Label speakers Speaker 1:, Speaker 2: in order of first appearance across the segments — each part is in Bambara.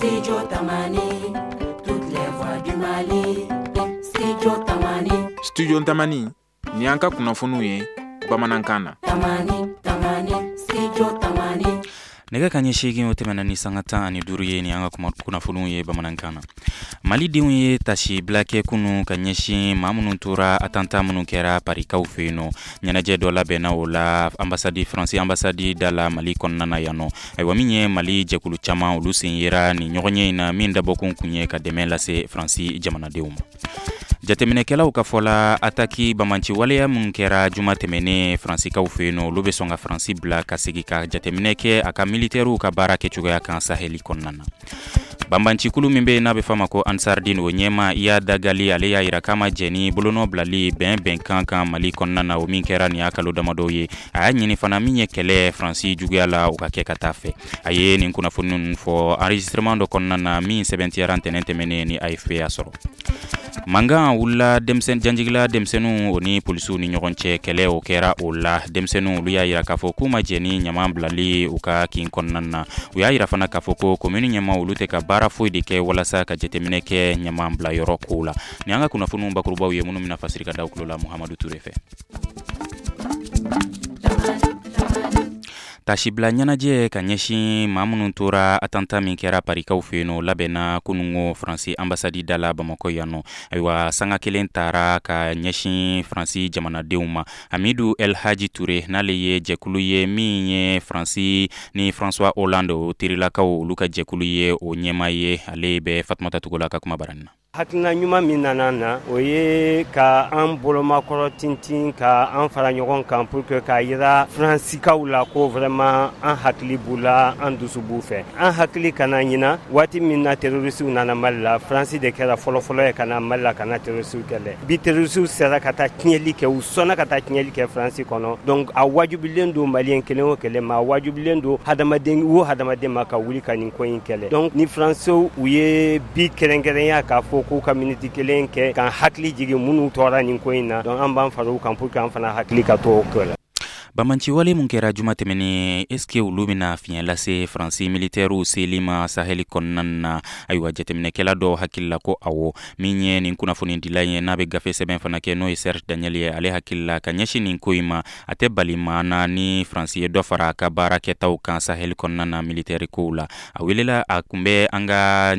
Speaker 1: Studio Tamani, toutes les voix du Mali. Studio Tamani.
Speaker 2: Studio Tamani, ni an ka kunnafoniw ye bamanankan na.
Speaker 1: Tamani, Tamani, Studio Tamani.
Speaker 3: Nɛgɛ kanɲɛ 8, o tɛmɛna ni sanga 15 ye. Ni an ka kunnafoniw ye bamanankan na. Malidenw ye tasibila kɛ kunu ka ɲɛsin maa minnu tora attentat minnu kɛra Parikaw fɛ yen nɔ. Ɲɛnajɛ dɔ labɛnna o la ambassade, Faransi ambassade da la Mali kɔnɔna na yan nɔ. Ayiwa, min ye Mali jɛkulu caman, olu sen yera nin ɲɔgɔnye in na, min dabɔkun kun ye ka dɛmɛ lase Faransi jamanadenw ma. Jateminɛkɛlaw ka fɔ la, attaque banbaanci waleya minnu kɛra juma tɛmɛnen Faransikaw fɛ yen nɔ, olu bɛ sɔn ka Faransi bila ka segin ka jateminɛ kɛ a ka militɛriw ka baara kɛcogoya kan Saheli kɔnɔna na. Banbaancikulu min bɛ yen n'a bɛ f'a ma ko Ansardine, o ɲɛmaa Iyad Ag Ghali, ale y'a yira k'a ma jɛn ni bolonɔ bilali bɛn bɛnkan kan Mali kɔnɔna na, o min kɛra nin y'a kalo damadɔw ye. A y'a ɲini fana, min ye kɛlɛ Faransi juguya la, o ka kɛ ka taa fɛ. A ye nin kunnafoni ninnu fɔ enregistrement dɔ kɔnɔna na min sɛbɛntiyara ntɛnɛn tɛmɛnen ni AFP y'a sɔrɔ. Mankan wulila denmisɛn janjigila denmisɛnninw, o ni polisiw ni ɲɔgɔn cɛ, kɛlɛ o kɛra o la. Denmisɛnninw, olu y'a yira k'a fɔ k'u ma jɛn ni ɲama bilali u ka kin kɔnɔna na. U y'a yira fana k'a fɔ ko komini ɲɛmaa, olu tɛ ka baara foyi de kɛ walasa ka jateminɛ kɛ ɲama bilayɔrɔ kow la. Ni an ka kunnafoniw bakurubaw ye, minnu bɛna fasiri ka da tulo la Muhamadu Ture fɛ. Tasibila ɲɛnajɛ ka ɲɛsin maa minnu tora attentat min kɛra Parikaw fɛ yen nɔ, labɛnna kunungo Faransi ambassade da la Bamakɔ yan nɔ. Ayiwa, sanga kelen taara ka ɲɛsin Faransi jamanadenw ma. Hamidu El Haji Ture, n'ale ye jɛkulu ye min ye Faransi ni François Hollande o terilakaw, olu ka jɛkulu ye, o ɲɛmaa ye, ale bɛ Fatumata Togola ka kuma bara na.
Speaker 4: Hakilina ɲuman min nana na, o ye ka an bolomakɔrɔ tintin, ka an fara ɲɔgɔn kan pour que k'a yira Faransikaw la ko vraiment an hakili b'u la, an dusu b'u fɛ. An hakili kana ɲina, waati min na terroristew nana Mali la, Faransi de kɛra fɔlɔfɔlɔ ye ka na Mali la ka na terroristew kɛlɛ. Bi, terroristew sera ka taa tiɲɛli kɛ, u sɔnna ka taa tiɲɛli kɛ Faransi kɔnɔ. Donc a wajibilen don Malien kelen o kelen ma, a wajibilen don hadamaden o hadamaden ma ka wuli ka nin ko in kɛlɛ. Donc ni Faransiw u ye bi kɛrɛnkɛrɛnya k'a fɔ k'u ka miniti kelen kɛ k'an hakili jigin minnu tɔɔra nin ko in na, donc an b'an fara u kan pour que an fana hakili ka to o ko la.
Speaker 3: Banbaanciwale mun kɛra juma tɛmɛnen, est ce que olu bɛna fiɲɛ lase Faransi militɛriw seli ma Saheli kɔnɔna na? Ayiwa, jateminɛkɛla dɔw hakili la ko awɔ. Min ye nin kunnafonidila ye, n'a bɛ gafe sɛbɛn fana kɛ, n'o ye Serge Daniel ye, ale hakili la ka ɲɛsin nin ko in ma, a tɛ bali maa na ni Faransi ye dɔ fara a ka baara kɛtaw kan Saheli kɔnɔna na militɛri kow la. A welela, a kun bɛ an ka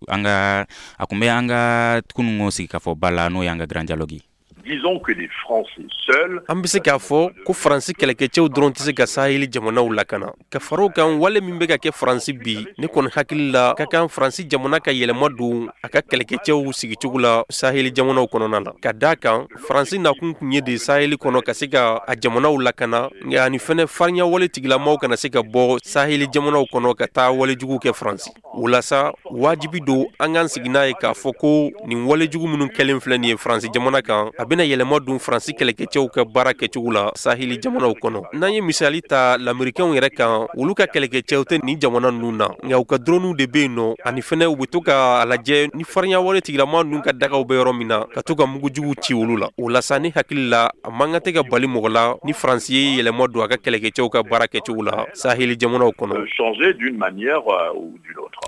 Speaker 3: an ka a kun bɛ an ka kununko sigikafɔba la, n'o y'an ka Grand Dialogue ye.
Speaker 5: Disons que les Français seuls
Speaker 6: An bɛ se k'a fɔ ko Faransi kɛlɛkɛcɛw dɔrɔn tɛ se ka Saheli jamanaw lakana. Ka fara o kan, wale min bɛ ka kɛ Faransi bi, ne kɔni hakili la, ka kan Faransi jamana ka yɛlɛma don a ka kɛlɛkɛcɛw sigicogo la Saheli jamanaw kɔnɔna na, ka d'a kan Faransi nakun tun ye de Saheli kɔnɔ ka se ka a jamanaw lakana, nka ani fɛnɛ farinya wale tigilamaw kana se ka bɔ Saheli jamanaw kɔnɔ ka taa walejugu kɛ Faransi. O la sa, wajibi don an k'an sigi n'a ye k'a fɔ ko nin walejugu minnu kɛlen filɛ nin ye Faransi jamana kan, a bɛna yɛlɛma don Faransi kɛlɛkɛcɛw ka baara kɛcogo la Saheli jamanaw kɔnɔ. N'an ye misali ta Lamerikɛnw yɛrɛ kan, olu ka kɛlɛkɛcɛw tɛ nin jamana ninnu na, nka u ka droniw de bɛ yen nɔ, ani fɛnɛ u bɛ to ka a lajɛ ni farinya wale tigilama ninnu ka dagaw bɛ yɔrɔ min na, ka to ka mugujuguw ci olu la. O la sa, ne hakili la, a man kan tɛ ka bali mɔgɔ la ni Faransi ye yɛlɛma don a ka kɛlɛkɛcɛw ka baara kɛcogo la Saheli jamanaw kɔnɔ.
Speaker 5: Changer d'une manière ou d'une autre.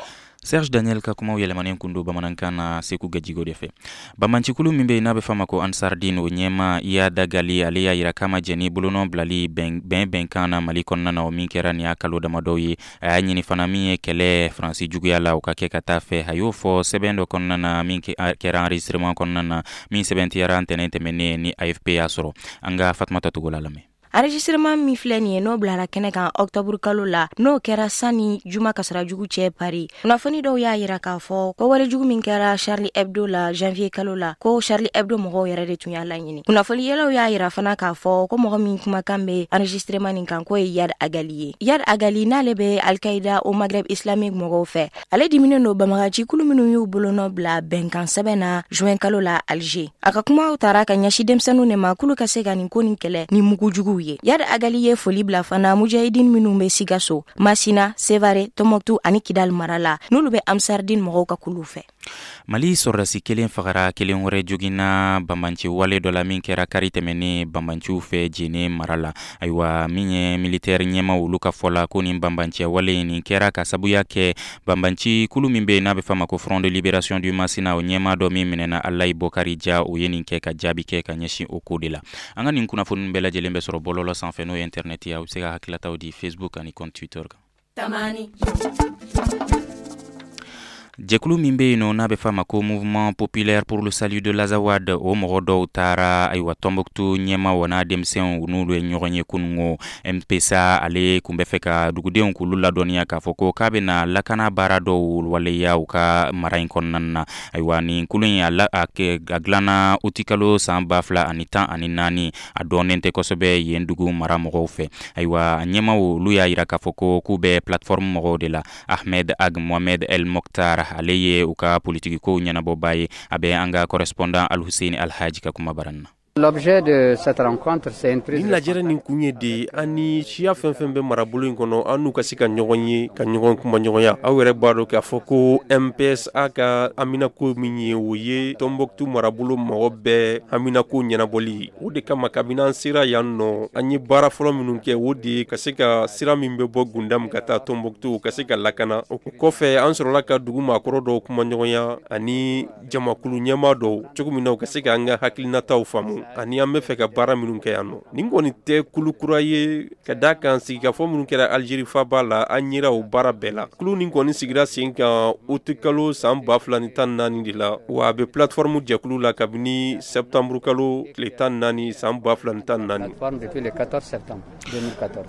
Speaker 3: Serge Daniel ka kumaw yɛlɛmanen kun don bamanankan na Seku Gajigo de fɛ. Banbaancikulu min bɛ yen n'a bɛ f'a ma ko Ansardine, o ɲɛmaa Iyad Ag Ghali, ale y'a yira k'a ma jɛn ni bolonɔ bilali bɛn bɛnkan na Mali kɔnɔna na, o min kɛra nin y'a kalo damadɔw ye. A y'a ɲini fana, min ye kɛlɛ Faransi juguya la, o ka kɛ ka taa fɛ. A y'o fɔ sɛbɛn dɔ kɔnɔna na min kɛra enregistrement kɔnɔna na min sɛbɛntiyara ntɛnɛn tɛmɛnen ni AFP y'a sɔrɔ. An ka Fatumata Togola lamɛn.
Speaker 7: Enregistrement min filɛ nin ye, n'o bilara kɛnɛ kan octobre kalo la, n'o kɛra sani juma kasara jugu cɛ Paris, kunnafoni dɔw y'a yira k'a fɔ ko walejugu min kɛra Charlie Hebdo la janvier kalo la, ko Charlie Hebdo mɔgɔw yɛrɛ de tun y'a laɲini. Kunnafoni yɛlɛw y'a yira fana k'a fɔ ko mɔgɔ min kumakan bɛ enregistrement nin kan, k'o ye Iyad Ag Ghali ye. Iyad Ag Ghali, n'ale bɛ Al-Qaïda au Maghreb islamique mɔgɔw fɛ, ale diminen don banbagaci kulu minnu y'u bolonɔ bila bɛnkan sɛbɛn na juin kalo la Alger. A ka kumaw tara ka ɲɛsin denmisɛnninw de ma k'olu ka se ka nin ko nin kɛlɛ ni mugu juguw ye. Iyad Ag Ghali ye foli bila fana mujahidin minnu bɛ Sikaso, Masina, Sevare, Tɔnbɔkutu ani Kidal mara la, n'olu bɛ Ansardine mɔgɔw ka kuluw fɛ.
Speaker 3: Mali sɔrɔdasi kelen fagara, kelen wɛrɛ joginna banbanci wale dɔ la min kɛra kari tɛmɛnen banbanciw fɛ Jene mara la. Ayiwa, min ye militaire ɲɛmaw, olu ka fɔ la ko nin banbanciya wale in nin kɛra ka sabuya kɛ banbanci kulu min bɛ yen n'a bɛ f'a ma ko Front de Libération du Masina, o ɲɛmaa dɔ min minɛna, Alayi Bɔkari Ja, o ye nin kɛ ka jaabi kɛ ka ɲɛsin o ko de la. An ka nin kunnafoni bɛɛ lajɛlen bɛ sɔrɔ bɔlɔlɔ sanfɛ, n'o ye internet ye. Aw bɛ se ka hakililataw di Facebook ani compte Twitter kan.
Speaker 1: Tamani.
Speaker 3: Jɛkulu min bɛ yen nɔ n'a bɛ f'a ma ko Mouvement populaire pour le salut de l'Azawad, o mɔgɔ dɔw taara, ayiwa, Tɔnbɔkutu ɲɛmaw n'a denmisɛnw, n'olu ye ɲɔgɔn ye kunungo. MPSA ale tun bɛ fɛ ka dugudenw k'olu ladɔnniya k'a fɔ ko k'a bɛna lakana baara dɔw waleya u ka mara in kɔnɔna na. Ayiwa, nin kulu in, a dilanna utikalo san 2014. A dɔnnen tɛ kosɛbɛ yen dugu mara mɔgɔw fɛ. Ayiwa, a ɲɛmaw, olu y'a jira k'a fɔ ko k'u bɛ plateforme mɔgɔw de la. Ahmed Ag Mohamed El Mokhtar, ale ye u ka politikikow ɲɛnabɔbaa ye. A bɛ an ka correspondant Alhussein Alhaji ka kuma bara na.
Speaker 8: L'objet de cette rencontre, c'est une prise
Speaker 6: Nin lajɛrɛ nin kun ye de an ni siya fɛn fɛn bɛ marabolo in kɔnɔ, an n'u ka se ka ɲɔgɔn ye, ka ɲɔgɔn kumaɲɔgɔnya. Aw yɛrɛ b'a dɔn k'a fɔ ko MPSA ka haminako min ye, o ye Tɔnbɔkutu marabolo mɔgɔ bɛɛ haminako ɲɛnabɔli. O de kama, kabini an sera yan nɔ, an ye baara fɔlɔ minnu kɛ, o de ye ka se ka sira min bɛ bɔ Gundam ka taa Tɔnbɔkutu, ka se ka lakana. O kɔfɛ, an sɔrɔla ka dugu maakɔrɔ dɔw kumaɲɔgɔnya ani jamakulu ɲɛmaa dɔw, cogo min na u ka se k'an ka hakilinataw faamu ani an bɛ fɛ ka baara minnu kɛ yan nɔ. Nin kɔni tɛ kulu kura ye, ka d'a kan sigikafɔ minnu kɛra Alizeri faba la, an yera o baara bɛɛ la. Kulu nin kɔni sigira sen kan utikalo san 2014 de la, wa a bɛ plateforme jɛkulu la kabini septembre kalo tile 14 san 2014.
Speaker 8: Depuis le 14 septembre 2014.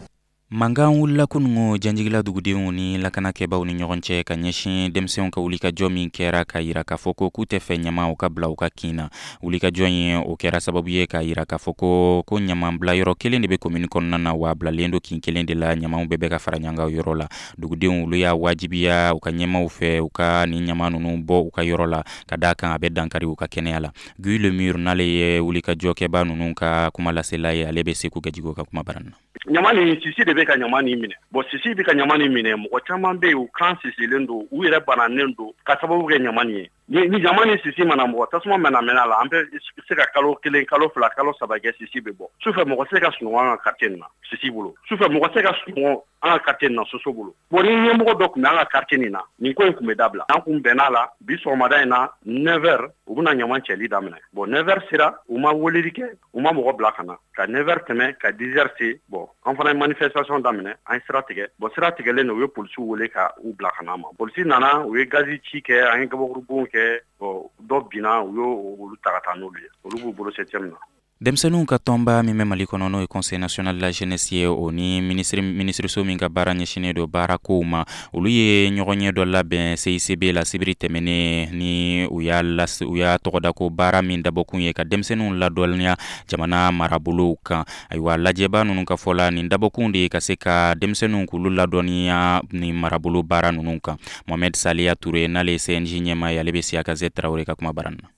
Speaker 3: Mankan wulila kunungo Janjigila dugudenw ni lakanakɛbaw ni ɲɔgɔn cɛ ka ɲɛsin denmisɛnw ka wulikajɔ min kɛra ka yira k'a fɔ ko k'u tɛ fɛ ɲama u ka bila u ka kin na. Wulikajɔ in, o kɛra sababu ye k'a yira k'a fɔ ko ɲama bila yɔrɔ kelen de bɛ komini kɔnɔna na, wa a bilalen don kin kelen de la. Ɲamaw bɛɛ bɛ ka fara ɲɔgɔn kan yɔrɔ la. Dugudenw, olu y'a wajibiya u ka ɲɛmaw fɛ u ka nin ɲama ninnu bɔ u ka yɔrɔ la, ka d'a kan a bɛ dankari u ka kɛnɛya la. Guy Lemur, n'ale ye wulikajɔkɛba ninnu ka kuma lasela ye, ale bɛ Seku Gajigo ka kuma bara na.
Speaker 9: Ɲama ni sisi de bɛ ka ɲama nin minɛ. Bon, sisi bɛ ka ɲama nin minɛ. Mɔgɔ caman bɛ yen, u kan sisilen don, u yɛrɛ bananen don ka sababu kɛ ɲama nin ye. Ni ɲama ni sisi mana mɔgɔ tasuma mana mɛnɛ a la, an bɛ se ka kalo 1, kalo 2, kalo 3 kɛ, sisi bɛ bɔ sufɛ. Mɔgɔ se ka sunɔgɔ an ka quartier nin na sisi bolo. Sufɛ, mɔgɔ se ka sunɔgɔ an ka quartier nin na soso bolo. Bon, ni ɲɛmɔgɔ dɔ tun bɛ an ka quartier nin na, nin ko in tun bɛ dabila. An kun bɛn'a la, bi sɔgɔmada in na, 9 heures, u bɛna ɲama cɛli daminɛ. Bon, 9 heures sera, u ma weleli kɛ, u ma mɔgɔ bila ka na. Ka 9 heures tɛmɛ, ka 10 heures se, bon, an fana ye manifestation daminɛ, an ye sira tigɛ. Bon, sira tigɛlen, u ye polisiw wele ka u bila ka na ma. Polisi nana, u ye gazi ci kɛ, an ye gabakurubon kɛ. Bon, dɔ binna, u y'o olu ta ka taa n'olu ye, olu b'u bolo septième na.
Speaker 3: Denmisɛnninw ka tɔnba min bɛ Mali kɔnɔ, n'o ye Conseil national de la jeunesse ye, o ni minisiriso min ka baara ɲɛsinnen don baara kow ma, olu ye ɲɔgɔn ye dɔ labɛn CICB la sibiri tɛmɛnen ni u y'a u y'a tɔgɔda ko baara min dabɔkun ye ka denmisɛnninw ladɔnniya jamana marabolow kan. Ayiwa, lajɛba ninnu ka fɔ la, nin dabɔkun de ye ka se ka denmisɛnninw k'olu ladɔnniya ni marabolo baara ninnu kan. Mohamed Saliya Toure, n'ale ye CNJ ɲɛmaa ye, ale bɛ Siyaka Z Tarawele ka kuma bara na.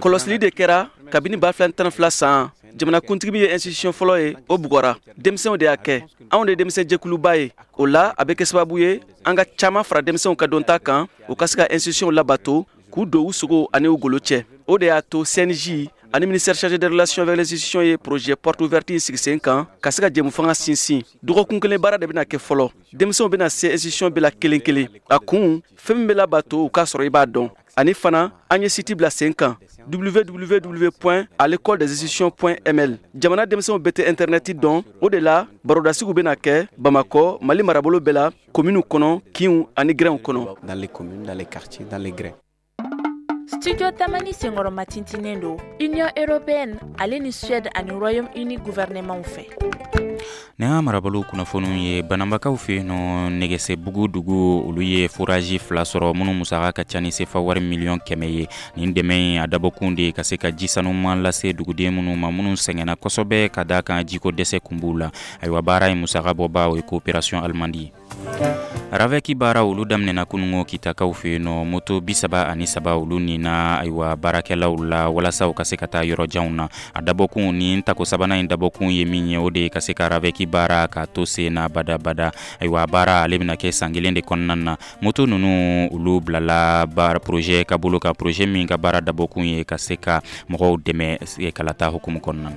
Speaker 10: Kɔlɔsili de kɛra kabini 2012 san. Jamanakuntigi min ye institution fɔlɔ ye, o bugɔra. Denmisɛnw de y'a kɛ. Anw de ye denmisɛnjɛkuluba ye. O la, a bɛ kɛ sababu ye an ka caaman fara denmisɛnw ka dɔnta kan, u ka se ka institution labato, k'u don u sogo ani u golo cɛ. O de y'a to CNJ ani ministère chargé des relations avec les institutions ye projet porte ouverte sigi sen kan, ka se ka jɛmu fanga sinsin. Dɔgɔkun kelen baara de bɛna kɛ fɔlɔ. Denmisɛnw bɛna se institution bɛɛ la kelen kelen. A kun, fɛn min bɛ labato, u k'a sɔrɔ i b'a dɔn. Ani fana, an ye site bila sen kan, www.alecoledesinstitutions.ml. Jamana denmisɛnw bɛɛ tɛ intɛrɛnɛti dɔn. O de la, barodasigiw bɛna kɛ Bamakɔ, Mali marabolo bɛɛ la, kominiw kɔnɔ, kinw ani gɛrɛnw kɔnɔ.
Speaker 11: Dans les communes, dans les quartiers, dans les grins.
Speaker 12: Studio Tamani senkɔrɔma tintinen don Union européenne ale ni Suède ani Royaume-Uni gouvernement fɛ.
Speaker 3: Nin y'an marabolo kunnafoniw ye. Banambakaw fɛ yen nɔ, Nɛgɛsɛbugu dugu, olu ye forage fila sɔrɔ minnu musaka ka ca ni sefa wari miliyɔn 100 ye. Nin dɛmɛ in, a dabɔkun de ye ka se ka ji sanuman lase duguden minnu ma, minnu sɛgɛnna kosɛbɛ ka d'a kan jiko dɛsɛ kun b'u la. Ayiwa, baara in musaka bɔba, o ye coopération allemande ye. RAVEC baara olu daminɛna kunungo Kitakaw fɛ yen nɔ. Moto 33 olu nina ayiwa baarakɛlaw la walasa u ka se ka taa yɔrɔ janw na. A dabɔkun ni tako sabanan in dabɔkun ye min ye, o de ye ka se ka RAVEC baara k'a to sen na badabada. Ayiwa, baara ale bɛna kɛ san kelen de kɔnɔna na. Moto ninnu olu bilala baara projet ka bolo kan, projet min ka baara dabɔkun ye ka se ka mɔgɔw dɛmɛ kalata hukumu kɔnɔna na.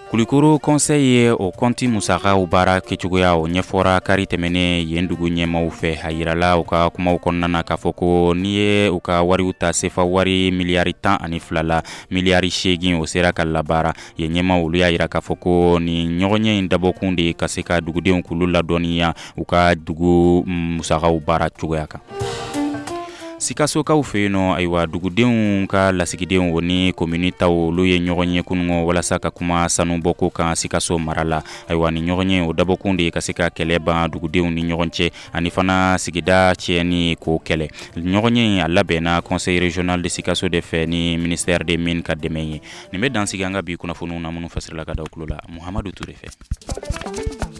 Speaker 3: Kulikoro conseil ye o kɔnti musakaw baara kɛcogoya o ɲɛfɔra kari tɛmɛnen yen dugu ɲɛmaw fɛ. A yirala u ka kumaw kɔnɔna na k'a fɔ ko n'i ye u ka wariw ta, sefa wari miliyari 12 la, miliyari 8 o sera ka labaara. Yen ɲɛmaw olu y'a yira k'a fɔ ko nin ɲɔgɔnye in dabɔkun de ye ka se ka dugudenw k'olu ladɔnniya u ka dugu musakaw baara cogoya kan. Sikasokaw fɛ yen nɔ, ayiwa, dugudenw ka lasigidenw o ni komini taw olu ye ɲɔgɔn ye kunungo walasa ka kuma sanubɔko kan Sikaso mara la. Ayiwa, ni ɲɔgɔn ye o dabɔkun de ye ka se ka kɛlɛ ban dugudenw ni ɲɔgɔn cɛ ani fana sigida tiɲɛni k'o kɛlɛ. Ɲɔgɔn ye a labɛnna conseil régional de Sikaso de fɛ ni ministère des mines ka dɛmɛ ye. Nin bɛ dan sigi an ka bi kunnafoniw na minnu fasirila ka da tulo la Muhamadu Ture fɛ.